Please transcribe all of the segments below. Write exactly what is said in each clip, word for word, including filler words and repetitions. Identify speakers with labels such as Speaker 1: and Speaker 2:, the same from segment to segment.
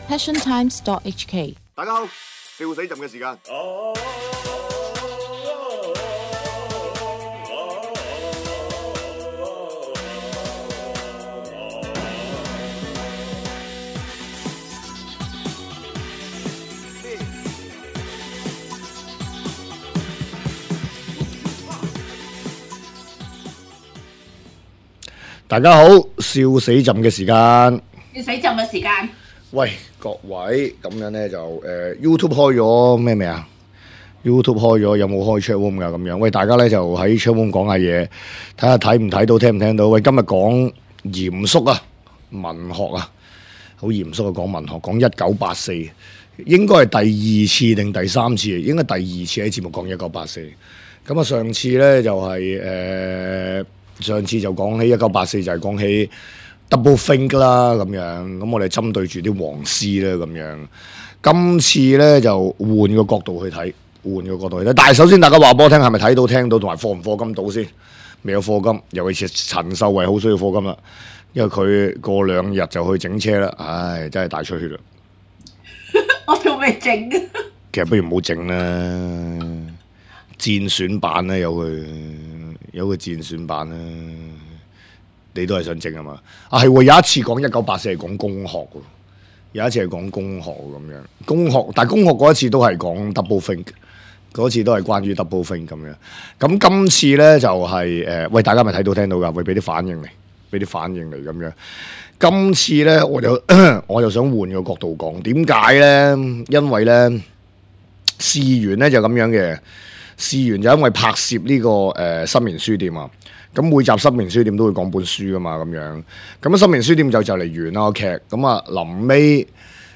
Speaker 1: passion times dot h k。
Speaker 2: 大家好，笑死朕嘅時間。大家好，笑死朕嘅時間。
Speaker 3: 要死浸嘅時間。
Speaker 2: 喂，各位，咁樣咧就誒、呃、YouTube 開咗咩未啊 ？YouTube 開咗有冇開 chat room 噶？咁樣，喂，大家咧就喺 chat room 講下嘢，睇下睇唔睇到，聽唔聽到？喂，今日講嚴肅啊，文學啊，好嚴肅啊，講文學，講一九八四，應該係第二次定第三次？應該第二次喺節目講一九八四。咁啊，上次咧就係、是、誒、呃，上次就講起一九八四，就係講起。Double think 啦咁樣，咁我哋針對住啲黃絲咧咁樣，今次咧就換個角度去睇，換個角度去睇。但係首先大家話俾我聽，係咪睇到聽到同埋課唔課金到先？未有課金，尤其是陳秀慧好需要課金啦，因為佢過兩日就去整車啦，唉，真係大出血啦。
Speaker 3: 我仲未整啊！
Speaker 2: 其實不如唔好整啦，戰選版啦，有佢有個戰選版啦。你都係想整啊嘛？啊係喎，有一次講一九八四係講工學喎，有一次係講工學咁樣。工學，但係工學嗰一次都係講 double think， 嗰次都係關於 double think 咁樣。咁今次咧就係、是、誒、呃，喂，大家咪睇到聽到㗎，會俾啲反應嚟，俾啲反應嚟咁樣。今次咧我就我就想換個角度講，點解咧？因為咧事緣咧就咁樣嘅，事緣就因為拍攝呢、這個誒、呃、新棉書店啊。咁每集新棉書店都會講本書噶嘛，咁樣咁新棉書店就就嚟完啦個劇，咁啊臨尾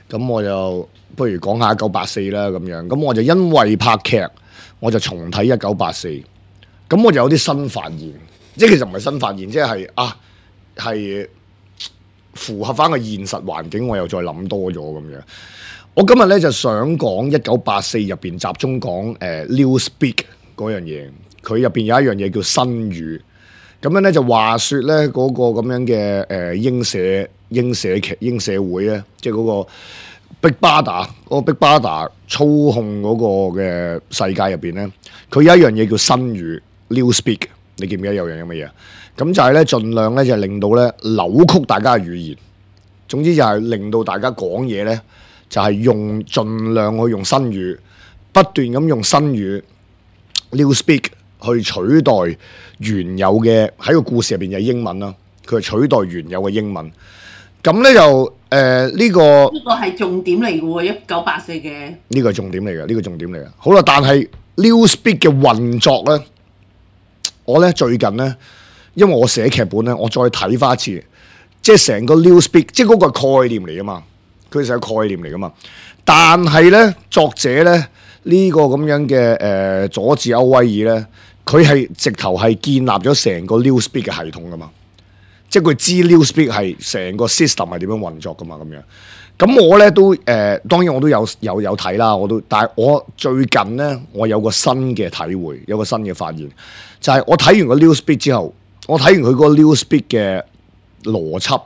Speaker 2: 咁我就不如講下一九八四啦咁樣，咁我就因為拍劇，我就重睇一九八四，咁我就有啲新發現，即係其實唔係新發現，即係啊係符合翻個現實環境，我又再諗多咗咁樣。我今日咧就想講一九八四入邊集中講誒、呃、Newspeak 嗰樣嘢，佢入邊有一樣嘢叫新語。咁樣咧就話說咧嗰、那個咁樣嘅誒、呃、英社英社劇英社會咧，即係嗰個 Big Brother 嗰個 Big Brother 操控嗰個嘅世界入邊咧，佢有一樣嘢叫新語 Newspeak， 你記唔記得有樣嘢乜嘢？咁就係咧盡量咧就係、令到咧扭曲大家嘅語言，總之就係令到大家講嘢咧就係、是、用盡量去用新語，不斷咁用新語 Newspeak。去取代原有嘅喺個故事入邊嘅英文啦，佢係取代原有嘅英文。咁咧就誒呢、呃這個
Speaker 3: 呢個係重點嚟嘅喎，一九八四嘅
Speaker 2: 呢個係重點嚟嘅，呢、這個重點嚟嘅。好啦，但係 Newspeak 嘅運作咧，我咧最近咧，因為我寫劇本咧，我再睇翻一次，即係成個 Newspeak，即係嗰個概念嚟噶嘛，佢係個概念嚟噶嘛。但係咧，作者咧呢、這個咁樣嘅誒、呃、佐治歐威爾咧。佢係直頭係建立咗成個 Newspeak 嘅系統噶嘛，即係佢知 Newspeak 係成個 system 係點樣運作噶嘛咁樣。咁我咧都誒、呃，當然我都有有有睇啦，我都，但係我最近咧，我有個新嘅體會，有個新嘅發現，就係、是、我睇完個 Newspeak 之後，我睇完佢嗰個 Newspeak 嘅邏輯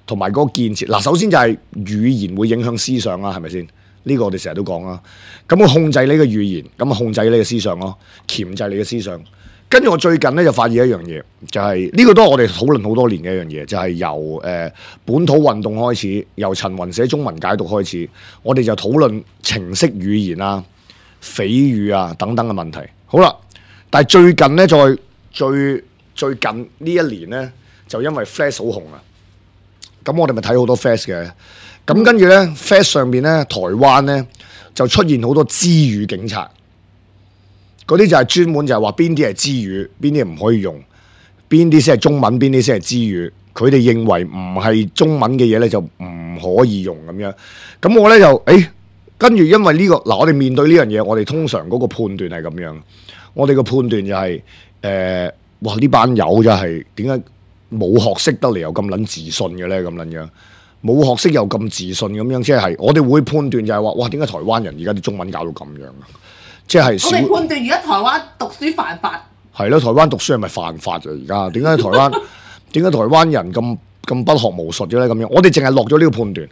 Speaker 2: 同埋嗰個建設。嗱，首先就係語言會影響思想啦，係咪先？呢個我哋成日都講啦，咁我控制你嘅語言，咁啊控制你嘅思想咯，鉗制你嘅思想。跟住我最近咧就發現一樣嘢，就係、是、呢、這個都係我哋討論好多年嘅一樣嘢，就係、是、由誒、呃、本土運動開始，由陳雲寫中文解讀開始，我哋就討論程式語言啊、匪語啊等等嘅問題。好啦，但係最近咧，再最最近呢一年咧，就因為 Flash 好紅啊，咁我哋咪睇好多 Flash 嘅。咁跟住咧 ，Flash 上邊咧，台灣咧就出現好多支語警察，嗰啲就係專門就係話邊啲係支語，邊啲唔可以用，邊啲先係中文，邊啲先係支語。佢哋認為唔係中文嘅嘢咧就唔可以用咁樣。咁我咧就誒，跟住因為呢個嗱，我哋面對呢樣嘢，我哋通常嗰個判斷係咁樣，我哋個判斷就係誒，哇呢班友就係點解冇學識得嚟又咁撚自信嘅咧？咁撚樣。冇學識又咁自信咁樣，即係我哋會判斷就係話，哇點解台灣人而家啲中文搞到咁樣啊？即係
Speaker 3: 我哋判斷而家台灣讀書犯法。係
Speaker 2: 咯，台灣讀書係咪犯法啊？而家點解台灣點解台灣人咁咁不學無術嘅咧？咁樣我哋淨係落咗呢個判斷，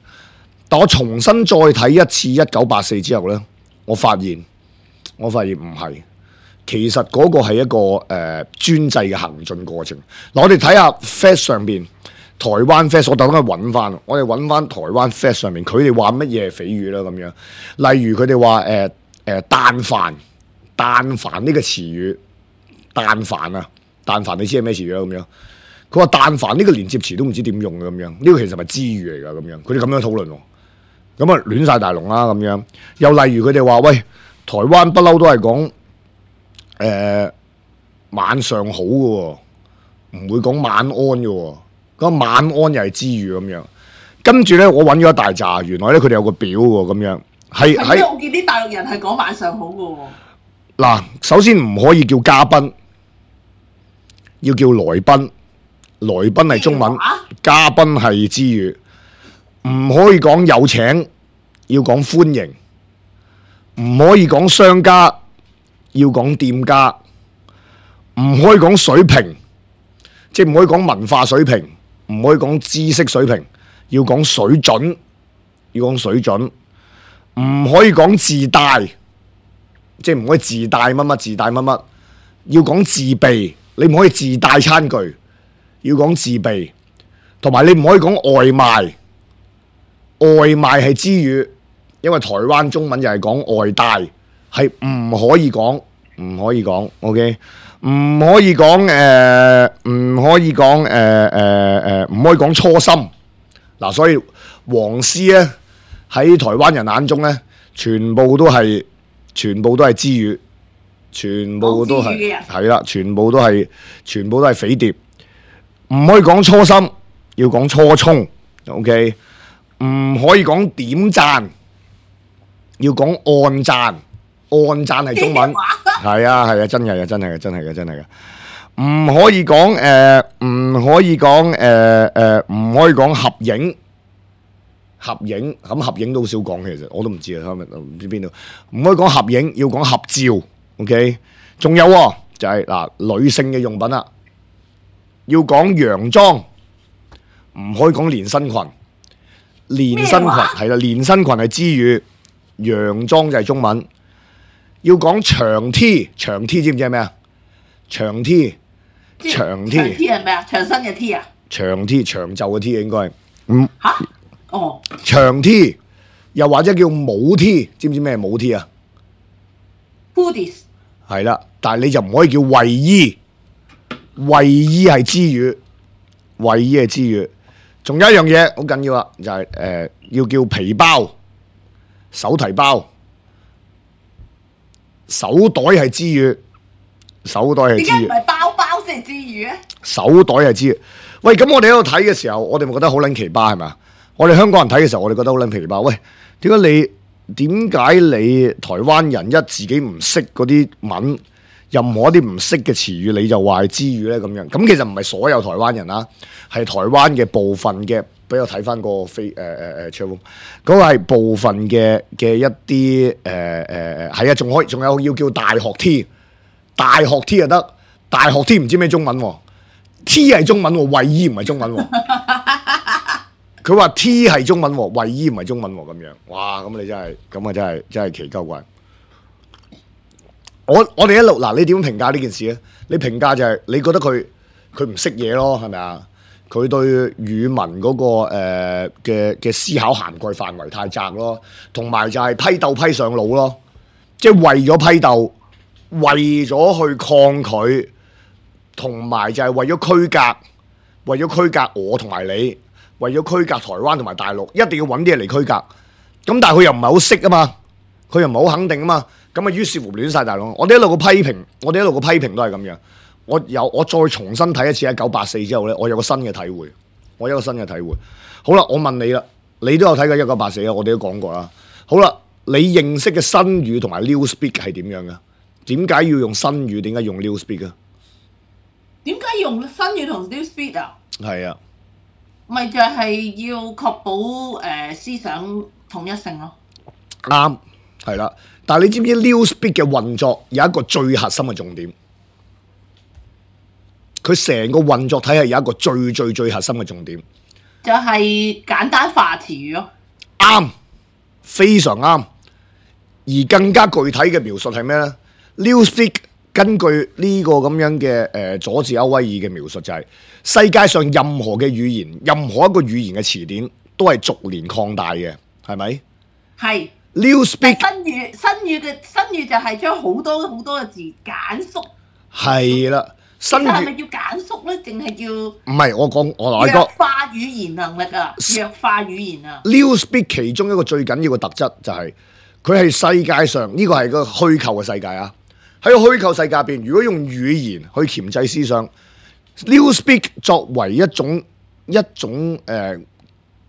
Speaker 2: 但我重新再睇一次一九八四之後咧，我發現我發現唔係，其實嗰個係一個誒、呃、專制嘅行進過程。嗱，我哋睇下 Fast 上邊台灣 Fast， 我特登去揾翻，我哋揾翻台灣 Fast 上面，佢哋話乜嘢係匪語啦咁樣。例如佢哋話誒誒但凡但凡呢個詞語，但凡啊，但凡你知係咩詞語啦咁樣。佢話但凡呢個連接詞都唔知點用嘅咁樣，呢、這個其實係支語嚟㗎咁樣。佢哋咁樣討論喎，咁啊亂晒大龍啦咁樣。又例如佢哋話喂，台灣不嬲都係講誒晚上好嘅喎，唔會講晚安嘅喎。咁晚安又係支語咁樣。跟住咧，我揾咗一大紮，原來咧佢哋有個表喎咁樣。係喺
Speaker 3: 我見啲大陸人係講晚上好嘅喎。
Speaker 2: 嗱，首先唔可以叫嘉賓，要叫來賓。來賓係中文，嘉賓係支語，唔可以講有請，要講歡迎，唔可以講商家，要講店家，唔可以講水平，即係唔可以講文化水平，唔可以講知識水平，要講水準，要講水準，唔可以講自帶，即係唔可以自帶乜乜自帶乜乜，要講自備，你唔可以自帶餐具。要講自備，同埋你唔可以講外賣，外賣係支語，因為台灣中文就係講外帶，係唔可以講，唔可以講 ，OK， 唔可以講誒，唔、呃、可以講誒誒誒，唔、呃、可以講初心。嗱，所以黃絲咧喺台灣人眼中咧，全部都係全部都係支語，全部都係係啦，全部都係全部都係匪諜。唔可以講初心，要講初衷 ，OK。唔可以講點讚，要講按讚，按讚係中文，係啊係啊，真係嘅真係嘅真係嘅真係嘅。唔可以講誒，唔、呃、可以講誒誒，唔、呃、可以講合影，合影咁合影都好少講，其實我都唔知啊，唔知邊度。唔可以講合影，要講合照 ，OK。仲有就係、是、嗱、呃、女性嘅用品啦。要講洋裝，唔可以講連身裙。連身裙係啦，連身裙係支語，洋裝就係中文。要講長 T， 長 T 知唔知係咩啊？長 T， 長 T，
Speaker 3: 長 T 係咩啊？長身嘅 T 啊？
Speaker 2: 長 T 長袖嘅 T 應該係。嗯。吓？
Speaker 3: 哦。
Speaker 2: 長 T， 又或者叫帽 T， 知唔知咩帽 T 啊
Speaker 3: ？Hoodies。
Speaker 2: 係啦，但係你就唔可以叫衛衣。衛衣係支語，衛衣係支語。仲有一樣嘢好緊要啦，就係、是、誒、呃、要叫皮包、手提包、手袋係支語，手袋係支語。點解唔係包包先係支語咧？手袋係支語。喂，咁我哋喺度睇嘅時候，我哋咪覺得好撚奇葩係咪？我哋香港人睇嘅時候，我哋覺得好撚奇葩。喂，點解你點解你台灣人一自己唔識嗰啲文？任何一啲唔識嘅詞語，你就話係支語咧咁樣。咁其實唔係所有台灣人啦，係台灣嘅部分嘅。俾我睇翻個飛誒誒誒 channel，嗰個係部分嘅嘅一啲誒誒誒係啊，仲可以仲有要叫大學 T， 大學 T 就得，大學 T 唔知咩中文喎 ，T 係中文喎，衛衣唔係中文喎。佢話 T 係中文喎，衛衣唔係中文喎咁樣。哇！咁你真係咁啊，真係真係奇鳩怪。我我哋一路嗱，你點評價呢件事咧？你評價就係、是、你覺得佢佢唔識嘢咯，係咪啊？佢對語文嗰、那個誒嘅嘅思考涵蓋範圍太窄咯，同埋就係批鬥批上腦咯，即係為咗批鬥，為咗去抗拒，同埋就係為咗區隔，為咗區隔我同埋你，為咗區隔台灣同埋大陸，一定要揾啲嘢嚟區隔。咁但係佢又唔係好識啊嘛，佢又唔係好肯定啊嘛。咁啊，於是乎亂晒大龍。我哋一路個批評，我哋一路個批評都係咁樣。我有我再重新睇一次一九八四之後咧，我有個新嘅體會，我有個新嘅體會。好啦，我問你啦，你都有睇過一九八四啊？我哋都講過啦。好啦，你認識嘅新語同埋 Newspeak 係點樣嘅？點解要用新語？點解用 Newspeak 啊？
Speaker 3: 點解用新語同 Newspeak 啊？
Speaker 2: 係啊，
Speaker 3: 咪就係要確保誒、呃、思想統一性咯。
Speaker 2: 啱，係啦。但係你知唔知 Newspeak 嘅運作有一個最核心嘅重點？佢成個運作體系有一個最最最核心嘅重點，
Speaker 3: 就係簡單化詞語咯。
Speaker 2: 啱，非常啱。而更加具體嘅描述係咩呢？ Newspeak 根據呢個咁樣嘅誒、呃、佐治歐威爾嘅描述就係、是、世界上任何嘅語言，任何一個語言嘅詞典都係逐年擴大嘅，係咪？
Speaker 3: 係。
Speaker 2: Newspeak
Speaker 3: 新語新語嘅新語就係將好多好多嘅字簡縮。
Speaker 2: 係啦，新語
Speaker 3: 係咪叫簡縮咧？定係叫？
Speaker 2: 唔係，我講我話
Speaker 3: 弱化語言能力啊，弱化語言啊。
Speaker 2: Newspeak 其中一個最緊要嘅特質就係佢係世界上呢個係個虛構嘅世界啊！喺個虛構世界入邊，如果用語言去鉗制思想 ，Newspeak 作為一種一種誒、呃、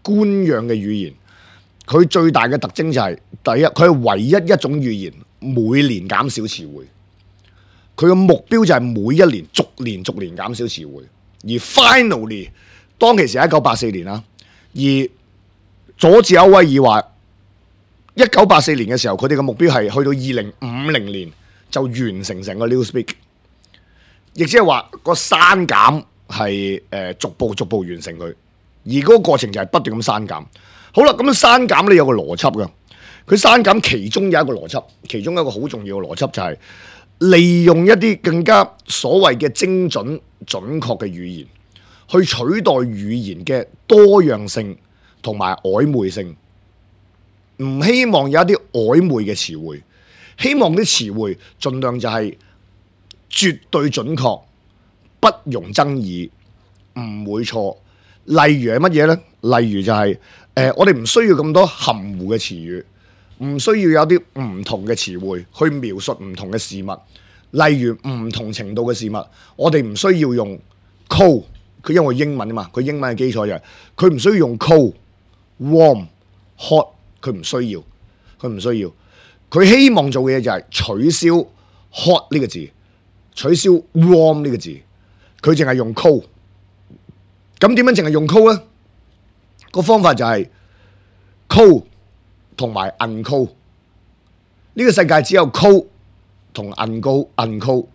Speaker 2: 官樣嘅語言，佢最大嘅特徵就係、是、第一，佢係唯一一種語言每年減少詞彙。佢嘅目標就係每一年逐年逐年減少詞彙，而 finally 當其時係一九八四年啦，而佐治歐威爾話一九八四年嘅時候，佢哋嘅目標係去到二零五零年就完成成個 Newspeak， 亦即係話個刪減係誒逐步逐步完成佢，而嗰個過程就係不斷咁刪減。好啦，咁樣刪減咧有個邏輯㗎，佢刪減其中有一個邏輯，其中一個好重要嘅邏輯就係利用一啲更加所謂嘅精準準確嘅語言，去取代語言嘅多樣性同埋曖昧性。唔希望有一啲曖昧嘅詞彙，希望啲詞彙盡量就係絕對準確，不容爭議，唔會錯。例如係乜嘢呢？例如就係、是、誒、呃，我哋唔需要咁多含糊嘅詞語，唔需要有啲唔同嘅詞彙去描述唔同嘅事物。例如唔同程度嘅事物，我哋唔需要用 cold， 佢因為英文啊嘛，佢英文嘅基礎就係佢唔需要用 cold、warm、hot。佢唔需要，佢唔需要，佢希望做嘅嘢就係取消 hot 呢個字，取消 warm 呢個字，佢淨係用 cold。咁點樣淨係用 cold 咧？個方法就係 cold 同埋 uncold。呢個世界只有 cold 同 uncold，uncold。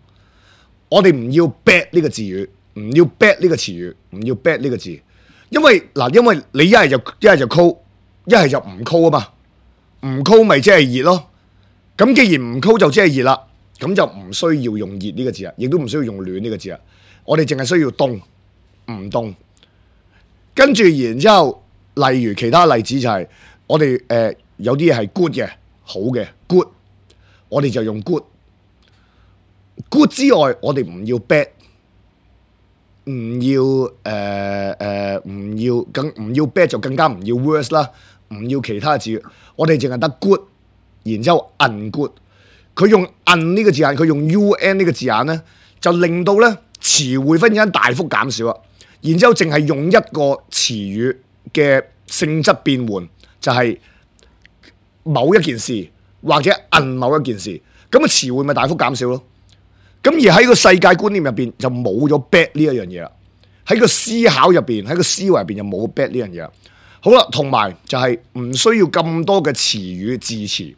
Speaker 2: 我哋唔要 bad 呢個字語，唔要 bad 呢個詞語，唔要 bad 呢個字，因為嗱，因為你一係就一係就 cold。一係就唔 cold 啊嘛，唔 cold 咪即係熱咯。咁既然唔 cold 就即係熱啦，咁就唔需要用熱呢個字啊，亦都唔需要用暖呢個字啊。我哋淨係需要凍，唔凍。跟住然之後，例如其他例子就係、是、我哋誒、呃、有啲嘢係 good 嘅，好嘅 good，我哋就用 good。good 之外，我哋唔要 bad， 唔要誒誒唔要更唔要 bad 就更加唔要 worse 啦。唔要其他字，我哋淨係得 good， 然之後 ungood。佢用 un 呢個字眼，佢用 un 呢個字眼咧，就令到咧詞彙忽然間大幅減少啊。然之後淨係用一個詞語嘅性質變換，就係、是、某一件事或者 un 某一件事，咁嘅詞彙咪大幅減少咯。咁而喺個世界觀念入邊就冇咗 bad 呢一樣嘢啦。喺個思考入邊，喺個思維入邊就冇 bad 呢樣嘢啦。好啦，同埋就係唔需要咁多嘅詞語字詞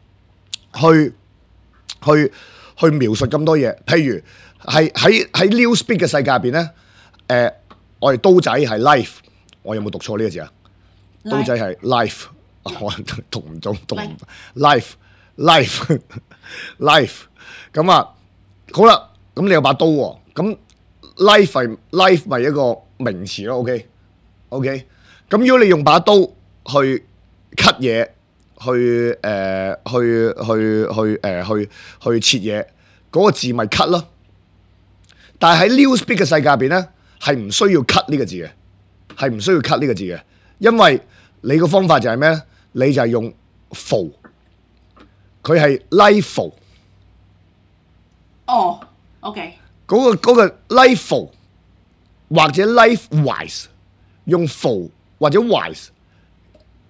Speaker 2: 去去去描述咁多嘢。譬如係喺喺 Newspeak 嘅世界入邊咧，誒、呃，我哋刀仔係 life， 我有冇讀錯呢個字啊？ Life. 刀仔係 life， 我讀唔到，讀唔 life life life。咁啊，好啦，咁你有把刀喎，咁 life 係 life 咪一個名詞咯 ？OK OK。咁如果你用把刀去 cut 嘢，去誒、呃、去去去誒、呃、去去切嘢，嗰、那個字咪 cut 咯。但係喺 Newspeak 嘅世界入邊咧，係唔需要 cut 呢個字嘅，係唔需要 cut 呢個字嘅，因為你個方法就係咩咧？你就係用 full， 佢係 lifeful。
Speaker 3: 哦 ，OK。
Speaker 2: 嗰個嗰個 lifeful 或者 lifewise 用 full。或者 wise，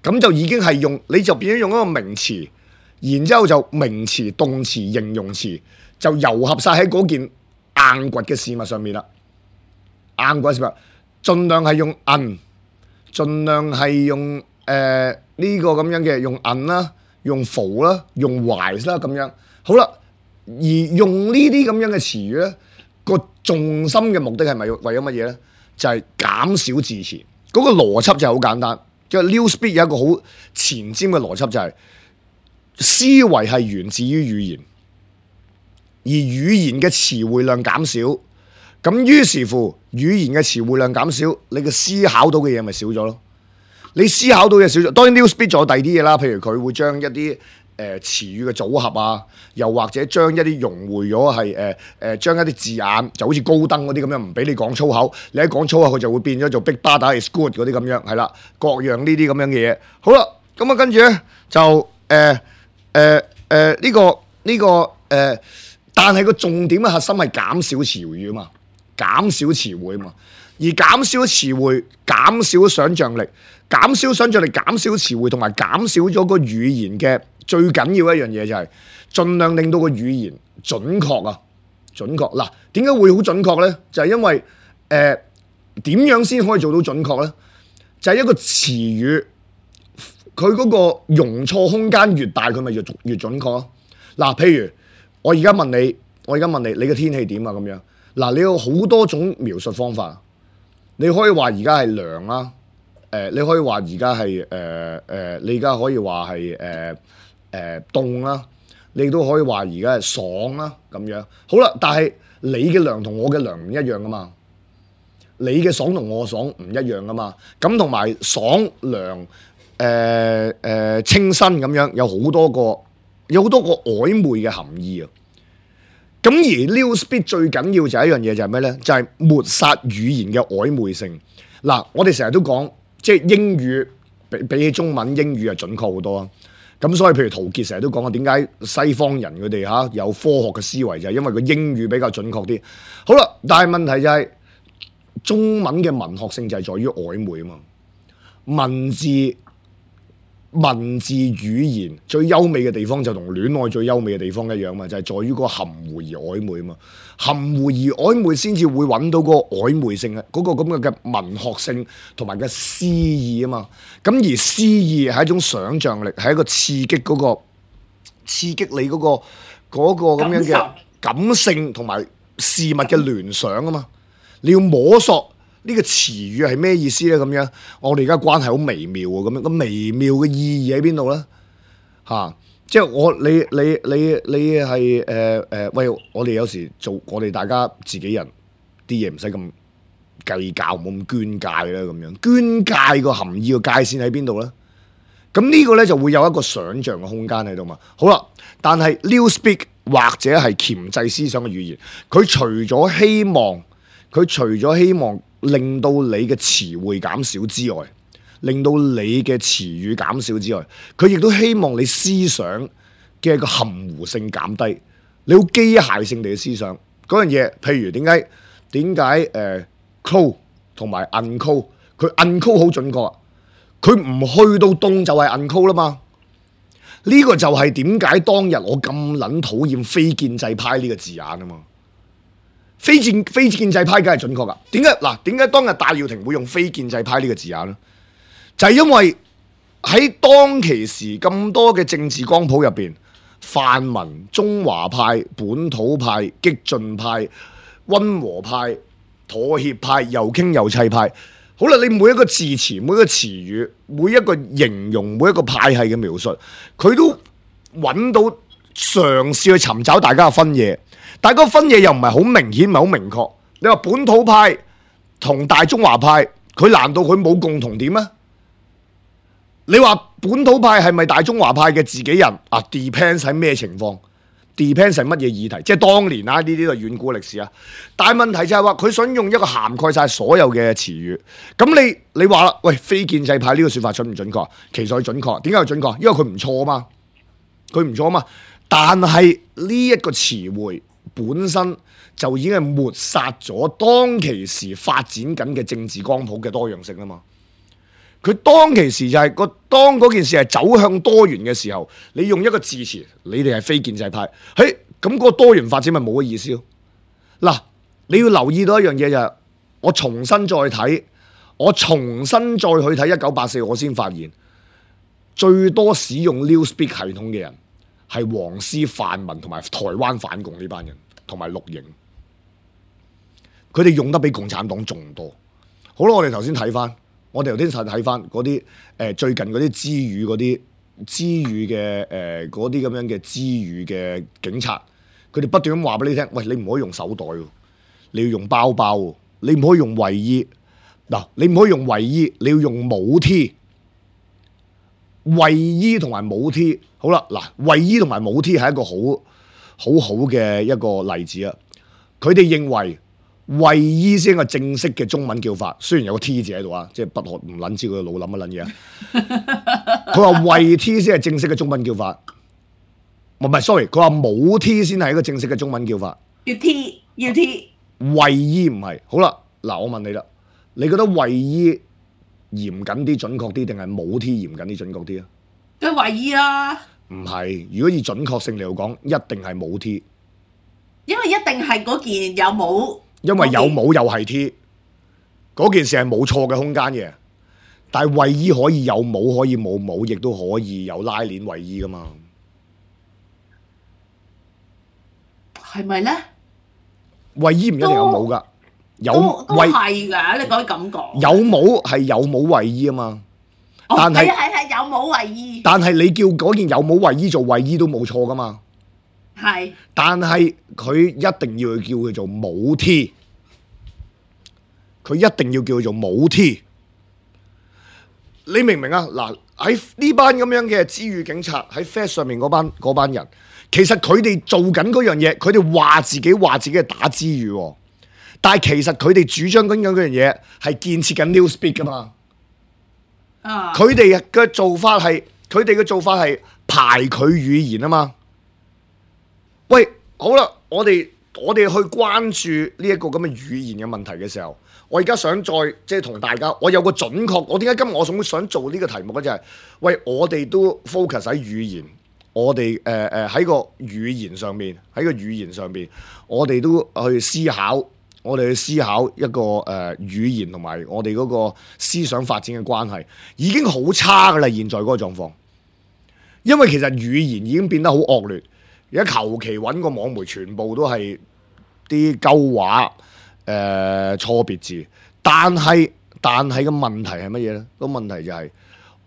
Speaker 2: 咁就已經係用，你就變咗用一個名詞，然之後就名詞、動詞、形容詞就糅合晒喺嗰件硬掘嘅事物上面啦。硬掘事物，盡量係用 un， 盡量係用誒呢、呃這個咁樣嘅用 un 啦，用 full 啦，用 wise 啦咁樣。好啦，而用呢啲咁樣嘅詞語咧，個重心嘅目的係咪為咗乜嘢咧？就係、是、減少字詞。嗰個邏輯就係好簡單，即係 Newspeak 有一個好前瞻嘅邏輯，就係思維係源自於語言，而語言嘅詞彙量減少，咁於是乎語言嘅詞彙量減少，你嘅思考到嘅嘢咪少咗咯。你思考到嘅嘢少咗，當然 Newspeak 仲有第二啲嘢啦，譬如佢會將一啲誒詞語嘅組合啊，又或者將一啲融匯咗係誒誒將一啲字眼，就好似高登嗰啲咁樣，唔俾你講粗口，你一講粗口佢就會變咗做 Big Brother is good 嗰啲咁樣，係啦，各樣呢啲咁樣嘅嘢。好啦，咁啊跟住咧就誒誒誒呢個呢、這個誒、呃，但係個重點嘅核心係減少詞語啊嘛，減少詞彙啊嘛，而減少詞彙，減少想像力。減少想像力、減少詞彙同埋減少咗個語言嘅最緊要一樣嘢就係盡量令到個語言準確啊！準確嗱，點解會好準確呢？就係因為誒點樣先可以做到準確呢？就係一個詞語，佢嗰個容錯空間越大，佢咪越越準確咯。嗱，譬如我而家問你，我而家問你，你嘅天氣點啊？咁樣嗱，你有好多種描述方法，你可以話而家係涼啦。誒、呃，你可以話而家係誒誒，你而家可以話係誒誒凍啦，你都可以話而家係爽啦咁樣。好啦，但係你嘅涼同我嘅涼唔一樣噶嘛，你嘅爽同我爽唔一樣噶嘛。咁同埋爽涼誒誒清新咁樣，有好多個有好多個曖昧嘅含義啊。咁而 Newspeak 最緊要就係一樣嘢就係咩咧？就係、是、抹殺語言嘅曖昧性。嗱，我哋成日都講。即係英語比比起中文，英語係準確好多啊！咁所以譬如陶傑成日都講啊，點解西方人佢哋嚇有科學嘅思維，就係因為個英語比較準確啲。好啦，但係問題就係、是、中文嘅文學性就係在於曖昧啊嘛，文字文字語言最優美嘅地方就同戀愛最優美嘅地方一樣嘛，就係、是、在於個含糊而曖昧啊嘛，含糊而曖昧先至會揾到個曖昧性啊，嗰、那個咁嘅嘅文學性同埋嘅詩意啊嘛，咁而詩意係一種想像力，係一個刺激嗰、那個刺激你嗰、那個嗰、那個咁樣嘅感性同埋事物嘅聯想啊嘛，你要摸索。呢個詞語係咩意思咧？咁樣我哋而家關係好微妙喎，咁樣咁微妙嘅意義喺邊度咧？嚇、啊，即係我你你你你係誒誒，喂！我哋有時做我哋大家自己人啲嘢唔使咁計較，冇咁捐界啦咁樣。捐界個含義個界線喺邊度咧？咁呢個咧就會有一個想像嘅空間喺度嘛。好啦，但係 Newspeak 或者係鉗制思想嘅語言，佢除咗希望，佢除咗希望。令到你嘅詞彙減少之外，令到你嘅詞語減少之外，佢亦都希望你思想嘅個含糊性減低，你好機械性地嘅思想嗰樣嘢。譬如點解點解誒 call 同埋 uncall， 佢 uncall 好準確啊，佢唔去到凍就係 uncall 啦嘛。呢、這個就係點解當日我咁撚討厭非建制派呢個字眼啊嘛。非建非建制派梗係準確噶，點解嗱？點解當日戴耀廷會用非建制派呢個字眼咧？就係、是、因為喺當其時咁多嘅政治光譜入邊，泛民、中華派、本土派、激進派、溫和派、妥協派、又傾又砌派，好啦，你每一個字詞、每一個詞語、每一個形容、每一個派系嘅描述，佢都揾到嘗試去尋找大家嘅分野。但係個分野又唔係好明顯，唔係好明確。你話本土派同大中華派，佢難道佢冇共同點咩？你話本土派係咪大中華派嘅自己人啊 ？Depends 喺咩情況 ？Depends 係乜嘢議題？即係當年啊，呢啲都係遠古歷史啊。但係問題就係話佢想用一個涵蓋晒所有嘅詞語。咁你你話啦，喂，非建制派呢個說法準唔準確？其實佢準確。點解佢準確？因為佢唔錯啊嘛，佢唔錯啊嘛。但係呢一個詞彙本身就已經係抹殺咗當其時發展緊嘅政治光譜嘅多樣性啦嘛。佢當其時就係、是、個當嗰件事係走向多元嘅時候，你用一個字詞，你哋係非建制派，嘿，咁個多元發展咪冇乜意思咯。嗱，你要留意到一樣嘢就係、是，我重新再睇，我重新再去睇一九八四，我先發現最多使用 Newspeak 系統嘅人。係黃絲泛民同埋台灣反共呢班人，同埋綠營，佢哋用得比共產黨仲多。好啦，我哋頭先睇翻我哋頭先睇翻嗰啲誒最近嗰啲知語嗰啲知語嘅誒嗰啲咁樣嘅知語嘅警察，佢哋不斷咁話俾你聽，喂，你唔可以用手袋喎，你要用包包喎，你唔可以用衞衣嗱，你唔可以用衞衣，你要用帽 T。衞衣同埋帽 T， 好啦，嗱，衞衣同埋帽 T 係一個好好好嘅一個例子啊！佢哋認為衞衣先係個正式嘅中文叫法，雖然有個 T 字喺度啊，即係不可唔撚知佢腦諗乜撚嘢啊！佢話衞 T 先係正式嘅中文叫法，唔係 sorry，佢話帽 T 先係一個正式嘅中文叫法。
Speaker 3: 要 T 要 T，
Speaker 2: 衞衣唔係。好啦，嗱，我問你啦，你覺得衞衣嚴謹啲、準確啲，定係帽 T 嚴謹啲、準確啲啊？
Speaker 3: 梗係衞衣啦，
Speaker 2: 唔係，如果以準確性嚟講，一定係帽 T，
Speaker 3: 因為一定係嗰件有帽，
Speaker 2: 因為有帽又係 T， 嗰件事係冇錯嘅空間嘅。但係衞衣可以有帽，可以冇帽，亦都可以有拉鏈衞衣噶嘛？
Speaker 3: 係咪咧？
Speaker 2: 衞衣唔一定有帽噶。有
Speaker 3: 都都
Speaker 2: 衞
Speaker 3: 係㗎，你可以咁講。
Speaker 2: 有帽係有帽衞衣啊嘛，
Speaker 3: 哦、
Speaker 2: 但係
Speaker 3: 係係係有帽衞衣，
Speaker 2: 但係你叫嗰件有帽衞衣做衞衣都冇錯噶嘛。
Speaker 3: 係，但
Speaker 2: 係佢一定要叫佢做帽 T， 佢一定要叫佢做帽 T。你明唔明啊？嗱，喺呢班咁樣嘅知語警察喺 Face 上面嗰班嗰班人，其實佢哋做緊嗰樣嘢，佢哋話自己話自己係打知語喎。但係其實佢哋主張緊嗰樣嘢係建設緊 Newspeak 噶嘛，
Speaker 3: 啊，
Speaker 2: 佢哋嘅做法係佢哋嘅做法係排佢語言啊嘛。喂，好啦，我哋我哋去關注呢一個咁嘅語言嘅問題嘅時候，我而家想再即係同大家，我有個準確，我點解今日我想想做呢個題目咧？就係、是、喂，我哋都 focus 喺語言，我哋誒誒喺個語言上面，喺個語言上面，我哋都去思考。我哋去思考一個誒、呃、語言同埋我哋嗰個思想發展嘅關係，已經好差噶啦！現在嗰個狀況，因為其實語言已經變得好惡劣，而家求其揾個網媒，全部都係啲鳩話、誒、呃、錯別字。但係但係個問題係乜嘢呢？個問題就係、是、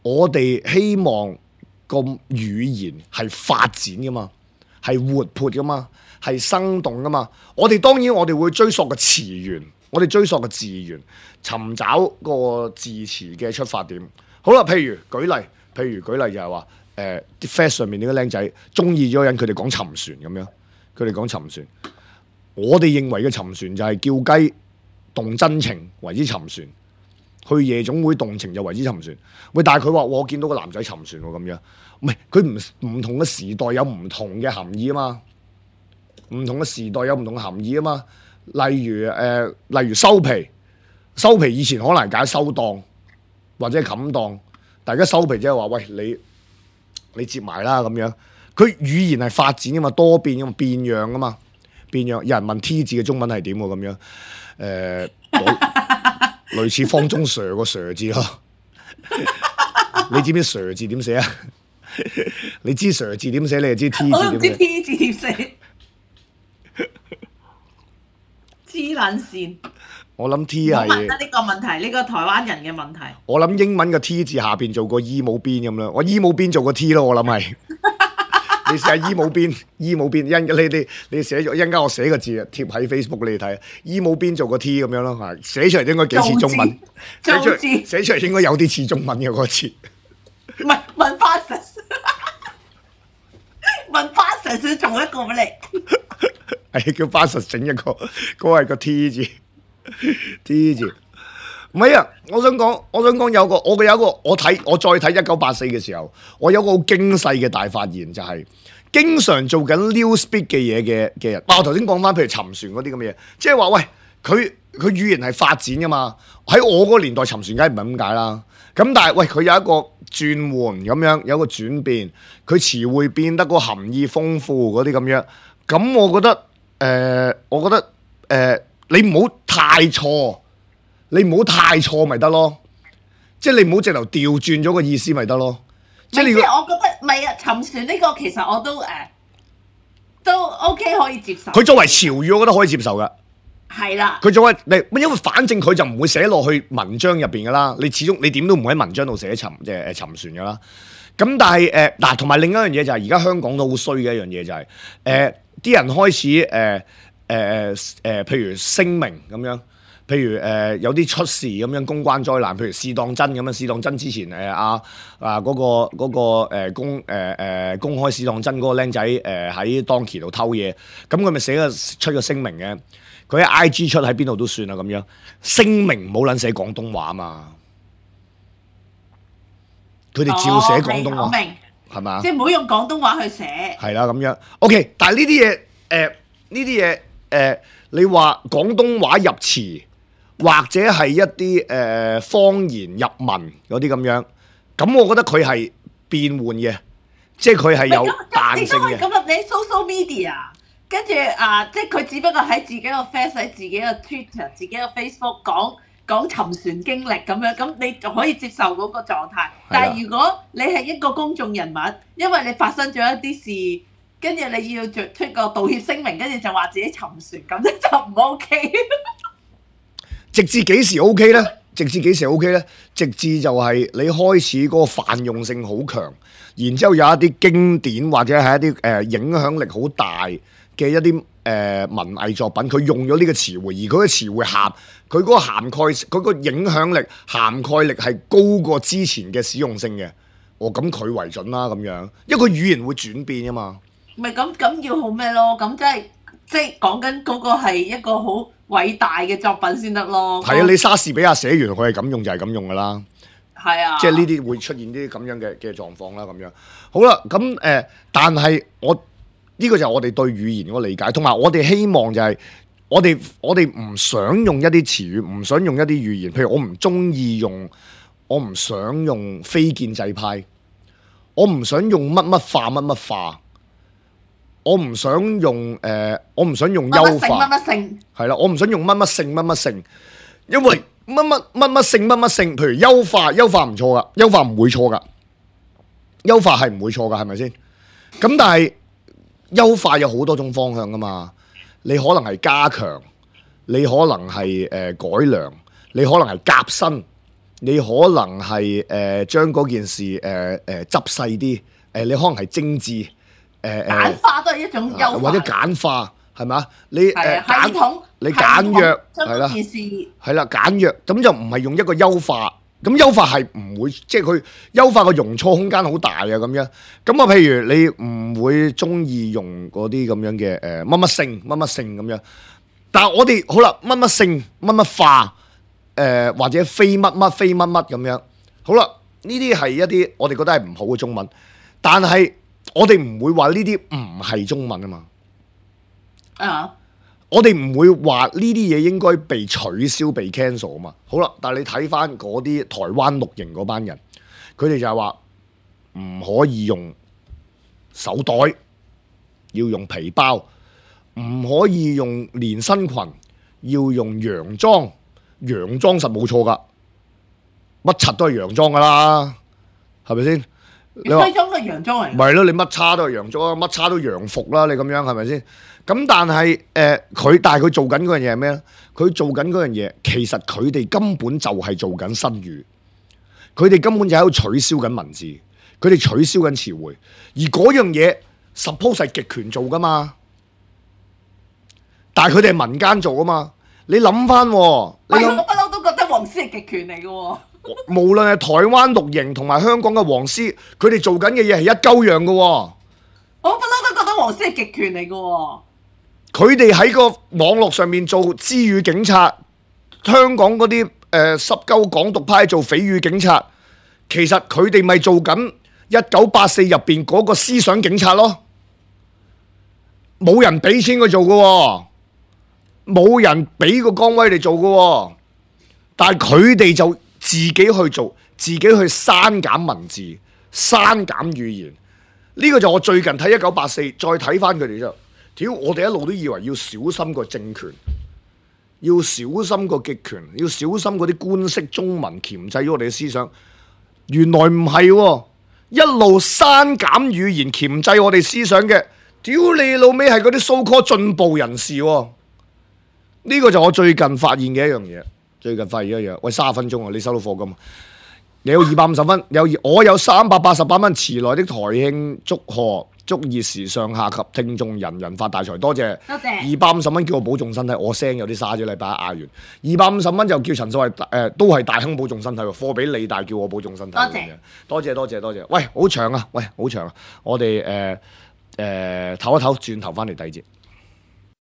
Speaker 2: 我哋希望個語言係發展噶嘛，係活潑噶嘛。係生動噶嘛？我哋當然我哋會追溯個詞源，我哋追溯個字源，尋找個字詞嘅出發點。好啦，譬如舉例，譬如舉例就係話，誒啲 Face 上面呢個僆仔中意咗個人，佢哋講沉船咁樣，佢哋講沉船。我哋認為嘅沉船就係叫雞動真情為之沉船，去夜總會動情就為之沉船。喂，但係佢話我見到個男仔沉船喎咁樣，唔係佢唔唔同嘅時代有唔同嘅含義啊嘛。唔同嘅時代有唔同嘅含義啊嘛，例如誒、呃，例如收皮，收皮以前可能係解收檔或者冚檔，大家收皮即係話喂，你你接埋啦咁樣。佢語言係發展噶嘛，多變噶嘛，變樣噶嘛，變樣。有人問 T 字嘅中文係點喎咁樣？誒、呃，類似方中 Sir 個 Sir 字咯。你知唔知 Sir 字點寫啊？你知 Sir 字點寫，你就知 T 字點寫。
Speaker 3: 我唔知 T 字點寫。黐撚線！
Speaker 2: 我諗 T 係，
Speaker 3: 我問得呢個問題，呢、呢個台灣人嘅問題。
Speaker 2: 我諗英文嘅 T 字下邊做個衣帽邊咁樣，我衣帽邊做個 T 咯，我諗係。你試下衣帽邊，衣帽邊，一你你你寫咗一陣間我寫個字貼喺 Facebook 你睇，衣帽邊做個 T 咁樣咯，係寫出嚟應該幾似中文，寫出嚟寫出嚟應該有啲似中文嘅嗰個字。
Speaker 3: 唔係文化神，文化神想做一個俾你。
Speaker 2: 係叫巴實整一個，嗰、那個係個 T 字，T 字。唔係啊！我想講，我想講有個，我嘅有一個，我睇我再睇一九八四嘅時候，我有個好驚世嘅大發現，就係、是、經常做緊 Newspeak 嘅嘢嘅嘅人。我頭先講翻，譬如沉船嗰啲咁嘅嘢，即係話喂，佢佢語言係發展噶嘛？喺我嗰個年代，沉船梗係唔係咁解啦。咁但係喂，佢有一個轉換咁樣，有一個轉變，佢詞彙變得個含義豐富嗰啲咁樣。咁我覺得。誒、呃，我覺得誒、呃，你唔好太錯，你唔好太錯咪得咯，即係你唔好直頭調轉咗個意思咪得咯。即係你，即係
Speaker 3: 我覺得唔係啊，沉船呢個其實我都誒、呃、都 OK 可以接受。
Speaker 2: 佢作為潮語，我覺得可以接受噶。
Speaker 3: 係啦，
Speaker 2: 佢做乜你？因為反正佢就唔會寫落去文章入邊噶啦。你始終你點都唔會喺文章度寫沉即係誒沉船噶啦。咁但係誒嗱，同、呃、埋另一樣嘢就係而家香港都好衰嘅一樣嘢就係誒啲人開始誒誒誒，譬如聲明咁樣，譬如誒、呃、有啲出事咁樣公關災難，譬如試當真咁樣，試當真之前誒阿啊嗰、那個嗰、那個、呃、公誒誒、呃、公開試當真嗰個僆仔誒喺當期度偷嘢，咁佢咪寫個出個聲明嘅。佢喺 I G 出喺邊度都算啦，咁樣聲明冇撚寫廣東話嘛，佢哋照寫廣東話，係嘛、哦？
Speaker 3: 即係唔好用廣東話去寫。
Speaker 2: 係啦，咁樣 OK。但係呢啲嘢誒，呢啲嘢誒，你話廣東話入詞或者係一啲誒、呃、方言入文嗰啲咁樣，咁我覺得佢係變換嘅，即係佢係有彈性嘅。
Speaker 3: 咁入你 social media。跟住啊，即係佢只不過喺自己個 face 喺自己個 Twitter、自己個 Facebook 講講沉船經歷咁樣，咁你就可以接受嗰個狀態。但係如果你係一個公眾人物，因為你發生咗一啲事，跟住你要做出個道歉聲明，跟住就話自己沉船，咁咧就唔 OK。
Speaker 2: 直至幾時 OK 咧？直至幾時 OK 咧？直至就係你開始嗰個泛用性好強，然之後有一啲經典或者係一啲誒、呃、影響力好大嘅一啲誒、呃、文藝作品，佢用咗呢個詞彙，而佢嘅詞彙涵，佢嗰個涵蓋，佢個影響力涵蓋力係高過之前嘅使用性嘅。哦，咁佢為準啦，咁樣，因為佢語言會轉變啊嘛。
Speaker 3: 咪咁咁要好咩咯？咁即係即係講緊嗰個係一個好偉大嘅作品先得咯。
Speaker 2: 係啊，你莎士比亞寫完佢係咁用就係咁用噶啦。
Speaker 3: 係啊，
Speaker 2: 即係呢啲會出現啲咁樣嘅嘅狀況啦，咁樣。好啦，咁誒、呃，但係我。呢個就係我哋對語言嗰個理解，同埋我哋希望就係我哋我哋唔想用一啲詞語，唔想用一啲語言。譬如我唔中意用，我唔想用非建制派，我唔想用乜乜化乜乜化，我唔想用誒、呃，我唔想用優化，
Speaker 3: 乜乜性
Speaker 2: 係啦，我唔想用乜乜性乜乜性，因為乜乜乜乜性乜乜性，譬如優化，優化唔錯噶，優化唔會錯噶，優化係唔會錯噶，係咪先？咁但係。優化有好多種方向噶嘛，你可能係加強，你可能係誒、呃、改良，你可能係夾新，你可能係誒將嗰件事誒誒執細啲，誒、呃、你可能係精緻，誒、呃、
Speaker 3: 簡化都係一種優化，
Speaker 2: 或者簡化係嘛？你誒、呃、
Speaker 3: 系統，
Speaker 2: 你簡約
Speaker 3: 係啦，件事
Speaker 2: 係啦簡約，咁就唔係用一個優化。咁優化係唔會，即係佢優化個容錯空間好大啊！咁樣，咁啊，譬如你唔會中意用嗰啲咁樣嘅誒乜乜性乜乜性咁樣，但係我哋好啦，乜乜性乜乜化，誒、呃、或者非乜乜非乜乜咁樣，好啦，呢啲係一啲我哋覺得係唔好嘅中文，但係我哋唔會話呢啲唔係中文啊嘛。啊、uh.！我哋唔會話呢啲嘢應該被取消、被 cancel 啊嘛。好啦，但係你睇翻嗰啲台灣綠營嗰班人，佢哋就係話唔可以用手袋，要用皮包；唔可以用連身裙，要用洋裝。洋裝實冇錯噶，乜柒都係洋裝噶啦，係咪先？你話
Speaker 3: 西裝都係洋裝嚟，
Speaker 2: 唔係咯？你乜叉都係洋裝，乜叉都洋服啦。你咁樣係咪先？咁但係誒佢，但係佢做緊嗰樣嘢係咩咧？佢做緊嗰樣嘢，其實佢哋根本就係做緊新語，佢哋根本就喺度取消緊文字，佢哋取消緊詞彙，而嗰樣嘢 suppose 係極權做噶嘛，但係佢哋係民間做啊嘛。你諗翻，你
Speaker 3: 我不嬲都覺得黃絲係極權嚟嘅喎。
Speaker 2: 無論係台灣綠營同埋香港嘅黃絲，佢哋做緊嘅嘢係一鳩樣嘅喎。我
Speaker 3: 不嬲都覺得黃絲係極權嚟嘅喎。
Speaker 2: 佢哋喺個網絡上面做知語警察，香港嗰啲誒濕鳩港獨派做匪語警察，其實佢哋咪做緊一九八四入邊嗰個思想警察咯。冇人俾錢佢做嘅喎，冇人俾個崗位嚟做嘅喎，但係佢哋就自己去做，自己去刪減文字、刪減語言。呢個就我最近睇一九八四，再睇翻佢哋之後。屌！我哋一路都以為要小心個政權，要小心個極權，要小心嗰啲官式中文鉗制咗我哋嘅思想。原來唔係喎，一路刪減語言鉗制我哋思想嘅，屌你老味係嗰啲 so called 進步人士喎。呢個就我最近發現嘅一樣嘢，最近發現一樣，喂，三十分鐘啊，你收到課金，你有二百五十分，有我有三百八十八蚊，遲來的台慶祝賀，祝熱時上下及聽眾人人發大財，多謝，
Speaker 3: 多謝，
Speaker 2: 二百五十蚊叫我保重身體，我聲有啲沙咗，禮拜一嗌完，二百五十蚊就叫陳素慧誒，都係大亨保重身體喎，貨俾你，但係叫我保重身體，
Speaker 3: 多謝，
Speaker 2: 多謝多謝多謝，喂，好長啊，喂，好長啊，我哋誒誒唞一唞，轉頭翻嚟第二節。